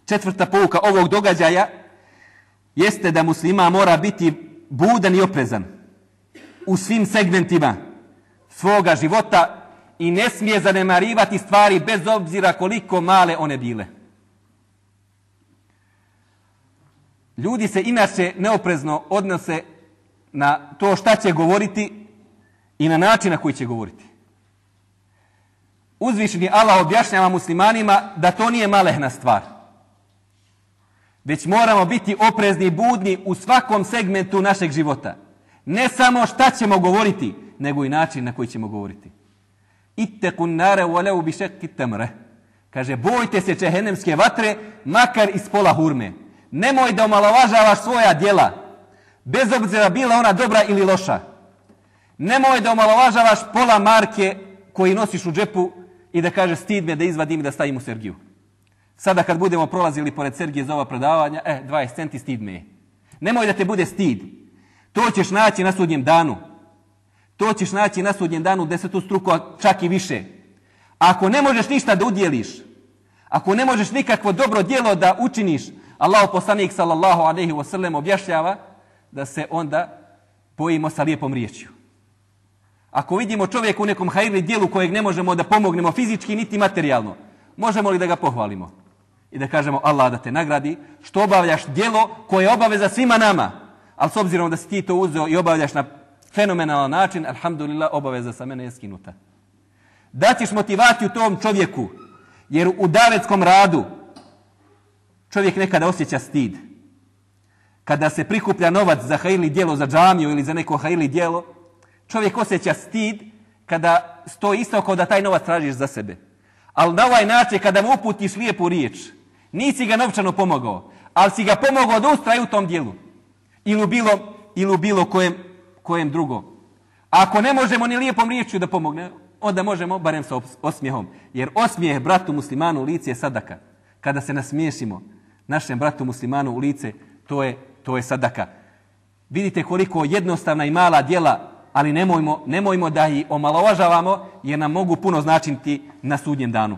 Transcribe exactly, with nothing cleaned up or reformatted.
Četvrta pouka ovog događaja jeste da musliman mora biti budan i oprezan u svim segmentima svoga života i ne smije zanemarivati stvari bez obzira koliko male one bile. Ljudi se inače neoprezno odnose na to šta će govoriti i na način na koji će govoriti. Uzvišeni Allah objašnjava muslimanima da to nije malehna stvar. Već moramo biti oprezni i budni u svakom segmentu našeg života. Ne samo šta ćemo govoriti, nego i način na koji ćemo govoriti. Ittekun nare walau bi shakki tamre. Kaže, bojte se džehennemske vatre, makar iz pola hurme. Nemoj da omalovažavaš svoja djela, bez obzira bila ona dobra ili loša. Nemoj da omalovažavaš pola marke koji nosiš u džepu i da kaže stid me da izvadim i da stavim u Sergiju. Sada kad budemo prolazili pored Sergije za ova predavanja, eh, dvadeset centi stid me je. Nemoj da te bude stid. To ćeš naći na sudnjem danu. To ćeš naći na sudnjem danu desetu struku, čak i više. Ako ne možeš ništa da udjeliš, ako ne možeš nikakvo dobro djelo da učiniš, Allahu poslanik sallallahu alejhi ve sellem objašnjava da se onda bojimo sa lijepom riječju. Ako vidimo čovjeka u nekom hajrli djelu kojeg ne možemo da pomognemo fizički niti materijalno, možemo li da ga pohvalimo i da kažemo Allah da te nagradi što obavljaš djelo koje je obaveza svima nama, ali s obzirom da si ti to uzeo i obavljaš na fenomenalan način, alhamdulillah, obaveza sa mene je skinuta. Daćeš motivaciju tom čovjeku, jer u davetskom radu čovjek nekada osjeća stid. Kada se prikuplja novac za hajrli djelo, za džamiju ili za neko hajrli djelo, čovjek osjeća stid kada stoji isto kao da taj novac tražiš za sebe. Ali na ovaj način kada mu uputiš lijepu riječ, nisi ga novčano pomogao, ali si ga pomogao da ustraje u tom djelu. Ili u bilo, ili u bilo kojem, kojem drugom. A ako ne možemo ni lijepom riječju da pomogne, onda možemo barem sa osmijehom. Jer osmijeh bratu muslimanu u lice je sadaka. Kada se nasmiješimo našem bratu muslimanu u lice, to je, to je sadaka. Vidite koliko jednostavna i mala djela, ali nemojmo, nemojmo da ih omalovažavamo jer nam mogu puno značiti na sudnjem danu.